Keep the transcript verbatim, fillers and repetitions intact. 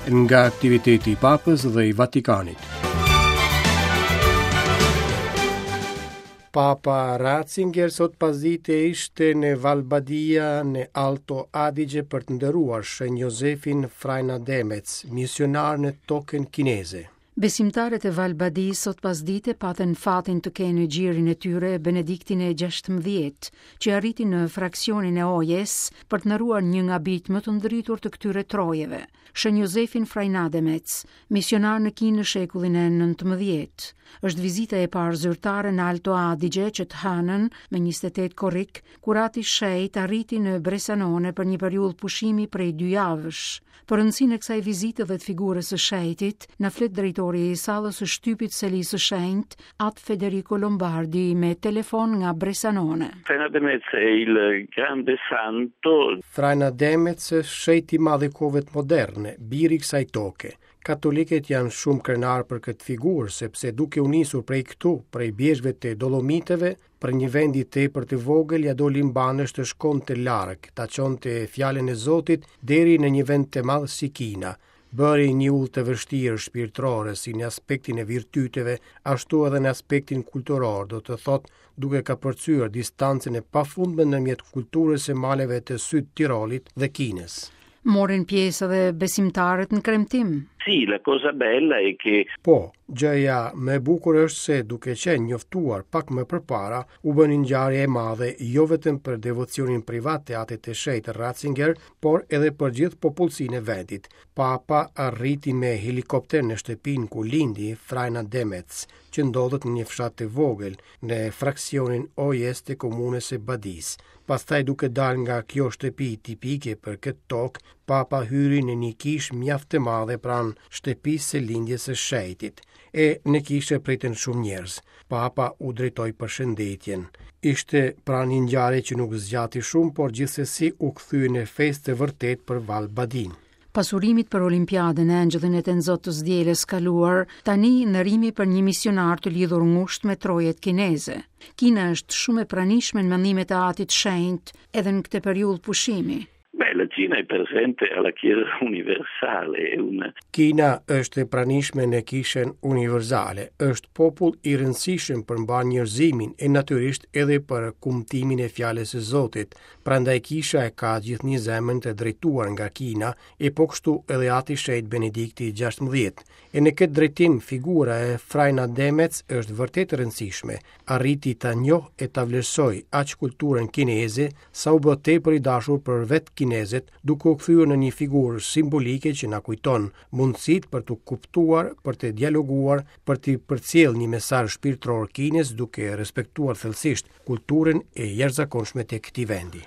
Nga aktiviteti i Papës dhe i Vatikanit. Papa Ratzinger sot pasdite ishte në Val Badia në Alto Adige për të nderuar Shën Josefin Freinademetz, misionar në tokën kineze. Besimtarët e Val Badisë sot pasdite patën fatin të kenë në gjirin e tyre Benediktin e gjashtëmbëdhjetë, që arriti në fraksionin e Ojes për të nderuar një nga bijtë më të ndritur të këtyre trojeve, Shën Josefin Freinademetz, misionar në Kinë në shekullin e nëntëmbëdhjetë. Është vizita e parë zyrtare në Alto Adige që të hënën me njëzet e tetë korrik, kur ati shenjt arriti në Bressanone për një periudhë pushimi prej dy javësh. Për rëndësinë e kësaj vizite dhe të figurës së shenjtit, na flet drejtori i sallës së shtypit Selisë së Shenjtë, At Federico Lombardi, me telefon nga Bressanone. Freinademetz è il grande santo. Freinademetz është shenjti i madh i kohëve moderne, biri i kësaj toke. Katolikët janë shumë krenar për këtë figurë, sepse duke u nisur prej këtu, prej bjeshkëve të Dolomiteve, për një vendi tepër të vogël ja doli mbanësh të shkonte larg, ta çonte fjalën e Zotit deri në një vend të madh si Kina. Bëri një udhë të vështirë shpirtërore si në aspektin e virtyteve, ashtu edhe në aspektin kulturor, do të thotë duke kapërcyer distancën e pafundme ndërmjet kulturës së maleve të Syd Tirolit dhe Kinës. Morin pjesë edhe besimtarët në kremtim. Sì, la cosa bella è che Po, gjëja më e bukur është se duke qenë njoftuar pak më përpara, u bë një ngjarje e madhe jo vetëm për devocionin privat të atit të shenjtë Ratzinger, por edhe për gjithë popullsinë e vendit. Papa arriti me helikopter në shtëpinë ku lindi Freinademetz, që ndodhet në një fshat të vogël në fraksionin Ojes të komunës së Badisë. Pastaj duke dalë nga kjo shtëpi tipike për këtë tokë, Papa hyri në një kishë mjaft të madhe pranë shtëpisë së lindjes së shenjtit. E në kishë pritën shumë njerëz. Papa u drejtoi përshëndetjen. Ishte pra një ngjarje që nuk zgjati shumë, por gjithsesi u kthye në festë të vërtetë për Val Badin. Pas urimit për Olimpiadën e Engjëllin e Tenzot të s'dielës kaluar, tani nderimi për një misionar të lidhur ngushtë me trojet kineze. Kina është shumë e pranishme në mendimet e atit shenjt edhe në këtë periudhë pushimi. Beh, la Cina è presente alla Chiesa universale, è un Kina është e pranishme në Kishën Universale, është popull i rëndësishëm për mbarë njerëzimin e natyrisht edhe për kumtimin e fjalës së Zotit. Prandaj Kisha e ka gjithnjë zemrën të drejtuar nga Kina, e po kështu edhe ati shenjt Benedikti gjashtëmbëdhjetë. E në këtë drejtim figura e Freinademetz është vërtet e rëndësishme. Arriti ta njohë e ta vlerësoj aq kulturën kineze sa u bë tepër i dashur për vetë kinezët, duke u kthyer në një figurë simbolike që na kujton mundësitë për të kuptuar, për të dialoguar, për të përcjellë një mesazh shpirtëror Kinës duke respektuar thellësisht kulturën e jashtëzakonshme të këtij vendi.